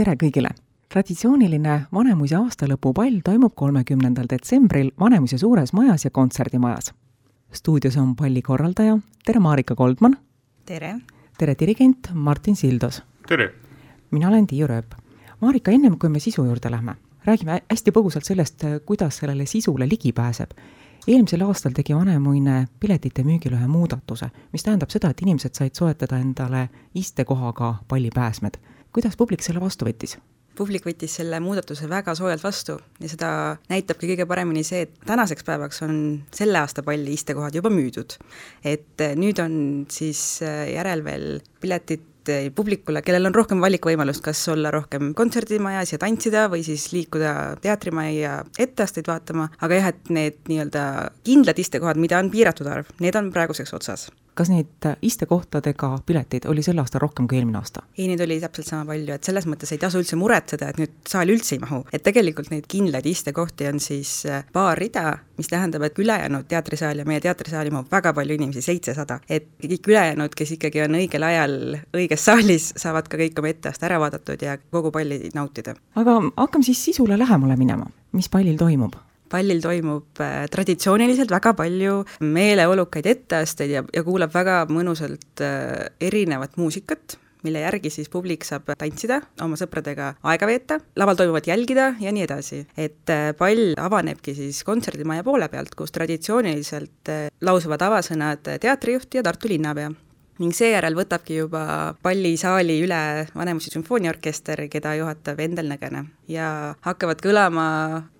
Tere kõigile! Traditsiooniline Vanemuise aastalõpupall toimub 30. detsembril Vanemuise suures majas ja kontserdimajas. Stuudios on palli korraldaja. Tere Marika Goldman! Tere! Tere dirigent Martin Sildos! Tere! Mina olen Tiiu Rööp. Marika, ennem kui me sisu juurde lähme, räägime hästi põgusalt sellest, kuidas sellele sisule ligi pääseb. Eelmisel aastal tegi Vanemuine piletite müügil ühe muudatuse, mis tähendab seda, et inimesed said soetada endale istekohaga pallipääsmed. Kuidas publik selle vastu võttis? Publik võttis selle muudatuse väga soojalt vastu ja seda näitabki kõige paremini see, et tänaseks päevaks on selle aasta palli istekohad juba müüdud. Et nüüd on siis järel veel piletid publikule, kellel on rohkem valikvõimalust, kas olla rohkem kontserdimajas ja tantsida või siis liikuda teatrimaja ja etteasteid vaatama, aga jah, et need nii-öelda kindlad istekohad, mida on piiratud arv, need on praeguseks otsas. Kas neid istekohtadega pileteid oli sel aastal rohkem kui eelmine aasta? Ei, neid oli täpselt sama palju, et selles mõttes ei tasu üldse muretseda, et nüüd saali üldse ei mahu. Et tegelikult neid kindlaid istekohti on siis paar rida, mis tähendab, et ülejäänud teatrisaal ja meie teatrisaali mahub väga palju inimesi, 700. Et kõik ülejäänud, kes ikkagi on õigel ajal õiges saalis, saavad ka kõik oma etteast ära vaadatud ja kogu palli nautida. Aga hakkame siis sisule lähemale minema. Mis pallil toimub? Pallil toimub traditsiooniliselt väga palju meeleolukaid etteasteid ja kuulab väga mõnusalt erinevat muusikat, mille järgi siis publik saab tantsida, oma sõpradega aega veeta, laval toimuvat jälgida ja nii edasi. Et pall avanebki siis kontserdimaja poole pealt, kus traditsiooniliselt lausuvad avasõnad teatrijuht ja Tartu linnapea. Ning seejärel võtabki juba pallisaali üle Vanemuise sümfooniaorkester, keda juhatab Endel Nõgene. Ja hakkavad kõlama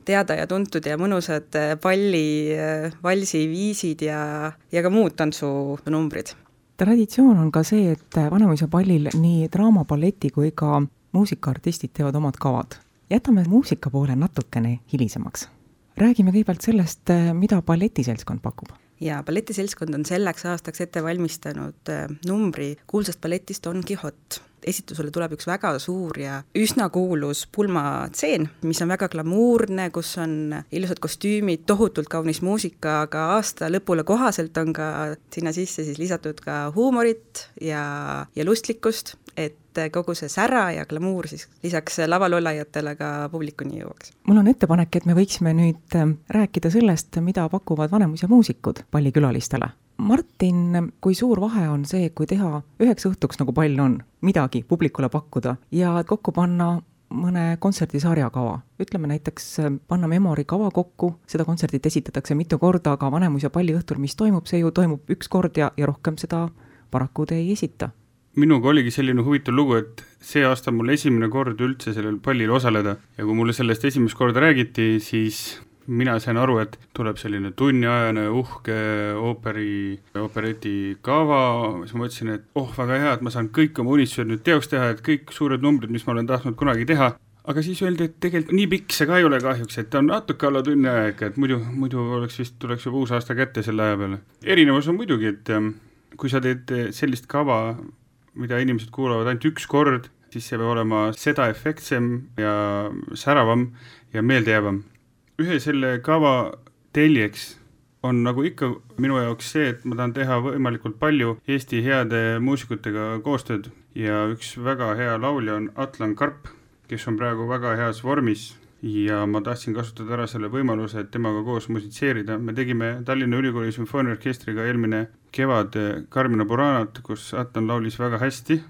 teada ja tuntud ja mõnusad palli, valsi, viisid ja ka muud tantsunumbrid. Traditsioon on ka see, et Vanemuise pallil nii draama, balleti kui ka muusikaartistid teevad omad kavad. Jätame muusika poole natukene hilisemaks. Räägime kõigepealt sellest, mida balletiseltskond pakub. Ja balletiseltskond on selleks aastaks ette valmistanud numbri kuulsast balletist Don Quixote. Esitusele tuleb üks väga suur ja üsna kuulus pulmatseen, mis on väga glamuurne, kus on ilusad kostüümid, tohutult kaunis muusika, aga aasta lõpule kohaselt on ka sinna sisse siis lisatud ka huumorit ja lustlikkust, et kogu see sära ja glamuur siis lisaks lavalolajatele ka publikuni jõuaks. Mul on ettepanek, et me võiksime nüüd rääkida sellest, mida pakuvad Vanemuise muusikud pallikülalistele. Martin, kui suur vahe on see, kui teha üheks õhtuks, nagu pall on, midagi publikule pakkuda ja kokku panna mõne kontserdisarja kava. Ütleme näiteks, panna Memori kava kokku, seda kontserdit esitatakse mitu korda, aga Vanemuise palli õhtul, mis toimub, see ju toimub üks kord ja rohkem seda paraku te ei esita. Minuga oligi selline huvitav lugu, et see aasta mul esimene kord üldse sellel pallil osaleda ja kui mulle sellest esimest korda räägiti, siis mina sain aru, et tuleb selline tunniajane uhke opereti kava, siis ma mõtlesin, et väga hea, et ma saan kõik oma unistused nüüd teoks teha, et kõik suured numbrid, mis ma olen tahtnud kunagi teha, aga siis öeldi, et tegelikult nii pikk see ka ei ole kahjuks, et on natuke alla tunni aeg, et muidu tuleks juba uus aasta kätte selle aja peale. Erinevus on muidugi, et kui sa teed sellist kava, mida inimesed kuulavad ainult üks kord, siis see peab olema seda efektsem ja säravam ja meeldejäävam. Ühe selle kava teljeks on nagu ikka minu jaoks see, et ma tahan teha võimalikult palju Eesti heade muusikutega koostööd ja üks väga hea laulja on Atlan Karp, kes on praegu väga heas vormis ja ma tahtsin kasutada ära selle võimaluse, et temaga koos musitseerida. Me tegime Tallinna Ülikooli sümfooniaorkestriga eelmine kevad Carmina Buranat, kus Atlan laulis väga hästi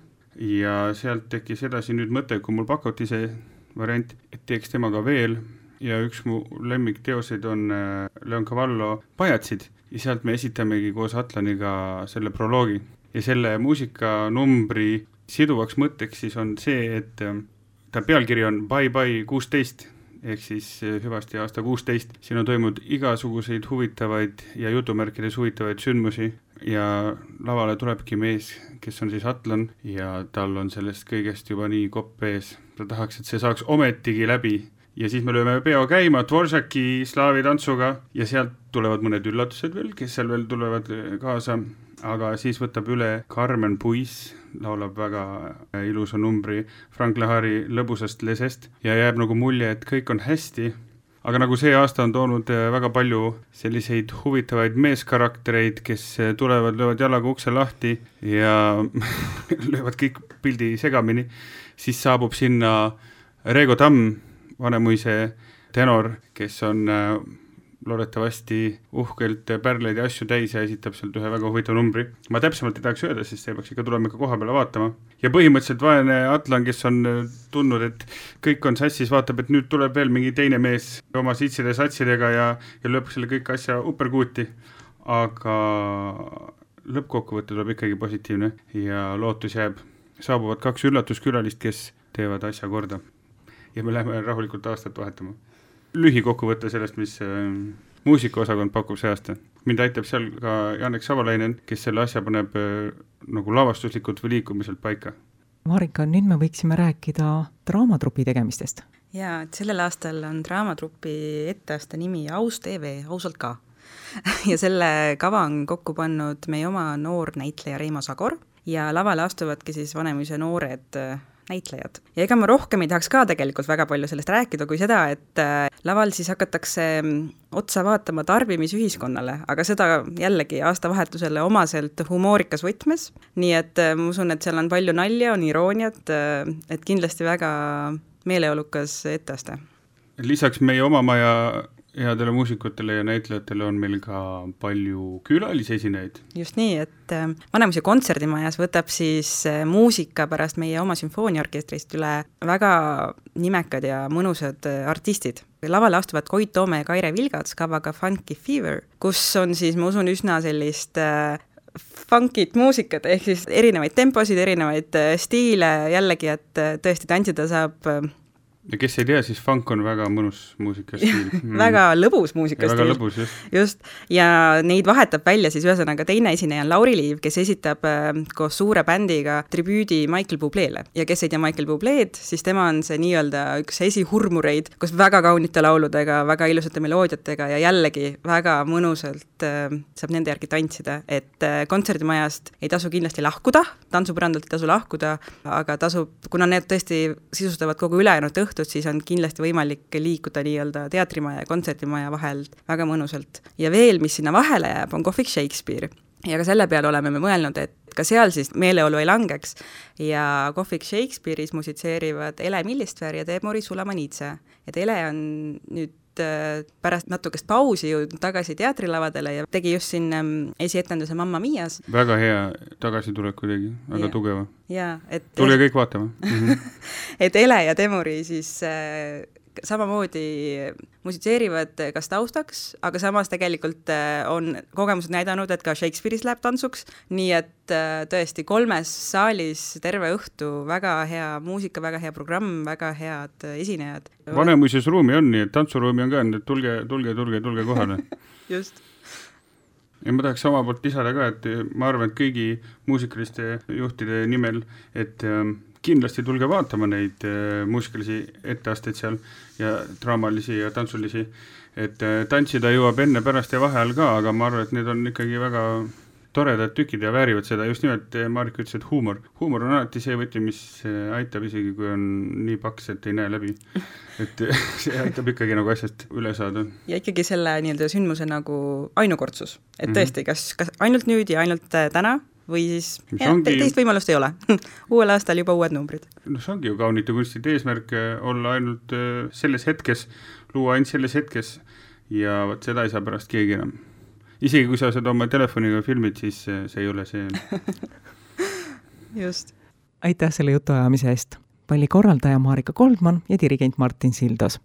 ja sealt tekkis edasi nüüd mõte, kui mul pakuti see variant, et teeks temaga veel ja üks mu lemmikteoseid on Leon Cavallo Pajatsid ja sealt me esitamegi koos Atlaniga selle proloogi. Ja selle muusikanumbri siduvaks mõtteks siis on see, et ta pealkiri on Bye Bye 16 ehk siis hüvasti aasta 16. Siin on toimunud igasuguseid huvitavaid ja jutumärkides huvitavaid sündmusi ja lavale tulebki mees, kes on siis Atlan ja tal on sellest kõigest juba nii kopp ees. Ta tahaks, et see saaks ometigi läbi. Ja siis me lööme peo käima Dvoržaki slaavi tantsuga ja sealt tulevad mõned üllatused veel, kes seal veel tulevad kaasa, aga siis võtab üle Carmen Puis, laulab väga ilusa numbri Frank Lahari lõbusast lesest ja jääb nagu mulje, et kõik on hästi aga nagu see aasta on toonud väga palju selliseid huvitavaid meeskaraktereid, kes tulevad, löövad jalaga ukse lahti ja löövad kõik pildi segamini, siis saabub sinna Reego Tamm, Vanemuise tenor, kes on loodetavasti uhkelt pärleid ja asju täis ja esitab sealt ühe väga huvitav numbri. Ma täpsemalt ei tahaks öelda, sest see peaks ikka tulema koha peale vaatama. Ja põhimõtteliselt vaene Atlan, kes on tundnud, et kõik on sassis, vaatab, et nüüd tuleb veel mingi teine mees oma sitside satsidega ja lööb selle kõik asja uperkuuti. Aga lõppkokkuvõte tuleb ikkagi positiivne ja lootus jääb. Saabuvad 2 üllatuskülalist, kes teevad asja korda. Ja me läheme rahulikult aastat vahetama. Lühikokkuvõte sellest, mis muusikaosakond pakub see aasta. Mind aitab seal ka Janek Savalainen, kes selle asja paneb nagu lavastuslikult või liikumiselt paika. Marika, nüüd me võiksime rääkida draamatrupi tegemistest. Jaa, et sellel aastal on draamatrupi etteaasta nimi Aus TV, ausalt ka. Ja selle kava on kokku pannud meie oma noor näitleja Reimo Sagor ja lavale astuvadki siis Vanemuise noored näitlejad. Ja ega ma rohkem ei tahaks ka tegelikult väga palju sellest rääkida kui seda, et laval siis hakatakse otsa vaatama tarbimisühiskonnale, aga seda jällegi aastavahetusele omaselt humoorikas võtmes, nii et ma usun, et seal on palju nalja, on irooniat, et kindlasti väga meeleolukas etteaste. Lisaks meie oma maja headele muusikutele ja näitlejatele on meil ka palju külalisesineid. Just nii, et Vanemuise kontserdimajas võtab siis muusika pärast meie oma sümfooniaorkestrist üle väga nimekad ja mõnusad artistid. Lavale astuvad Koit Toome ja Kaire Vilgats kavaga Funky Fever, kus on siis, ma usun, üsna sellist funkit muusikat, ehk siis erinevaid temposid, erinevaid stiile jällegi, et tõesti tantsida saab. Ja kes ei tea, siis funk on väga mõnus muusikastiil. Väga lõbus muusikastiil. Väga lõbus, just. Ja neid vahetab välja siis ühesõnaga teine esineja on Lauri Liiv, kes esitab koos suure bändiga tribüüdi Michael Bubléle. Ja kes ei tea Michael Bubléd, siis tema on see nii-öelda üks esihurmureid, kus väga kaunite lauludega, väga ilusate meloodiatega ja jällegi väga mõnusalt saab nende järgi tantsida, et kontserdimajast ei tasu kindlasti lahkuda, tantsupõrandalt ei tasu lahkuda, aga tasub, kuna need tõesti sisustavad kogu ülejäänud õhtut, siis on kindlasti võimalik liikuda nii-öelda teatrimaja ja kontserdimaja vahel väga mõnusalt. Ja veel, mis sinna vahele jääb, on Kohvik Shakespeare. Ja ka selle peale oleme me mõelnud, et ka seal siis meeleolu ei langeks ja Kohvik Shakespeare'is musitseerivad Ele Millistver ja Teemori Sulamanitse. Et Ele on nüüd pärast natukest pausi jõudnud tagasi teatrilavadele ja tegi just siin esietenduse Mamma Mias. Väga hea tagasitulek kuidagi, väga tugeva. Tulge kõik vaatama. Et Ele ja Teemori siis samamoodi musitseerivad kas taustaks, aga samas tegelikult on kogemused näidanud, et ka Shakespeare'is läheb tantsuks, nii et tõesti 3 saalis terve õhtu, väga hea muusika, väga hea programm, väga head esinejad. Vanemuises ruumi on nii, et tantsuruumi on ka, et tulge kohale. Just. Ja ma tahaks oma poolt lisada ka, et ma arvan, et kõigi muusikaliste juhtide nimel, et kindlasti tulge vaatama neid muusikalisi etteasteid seal ja draamalisi ja tantsulisi, et tantsida jõuab enne, pärast ja vahel ka, aga ma arvan, et need on ikkagi väga toredad tükid ja väärivad seda, just nimelt Marika ütles, et huumor on alati see võti, mis aitab isegi, kui on nii paks, et ei näe läbi, et see aitab ikkagi nagu asjast üle saada. Ja ikkagi selle nii-öelda sündmuse nagu ainukordsus, et tõesti, kas ainult nüüd ja ainult täna, või siis teist võimalust ei ole. Uuel aastal juba uued numbrid. No see ongi ju kaunite kunstide eesmärk olla ainult selles hetkes, luua ainult selles hetkes ja seda ei saa pärast keegi enam. Isegi kui sa seda oma telefoniga filmid, siis see ei ole see. Just. Aitäh selle jutuajamise eest. Palli korraldaja Marika Koldman ja dirigent Martin Sildos.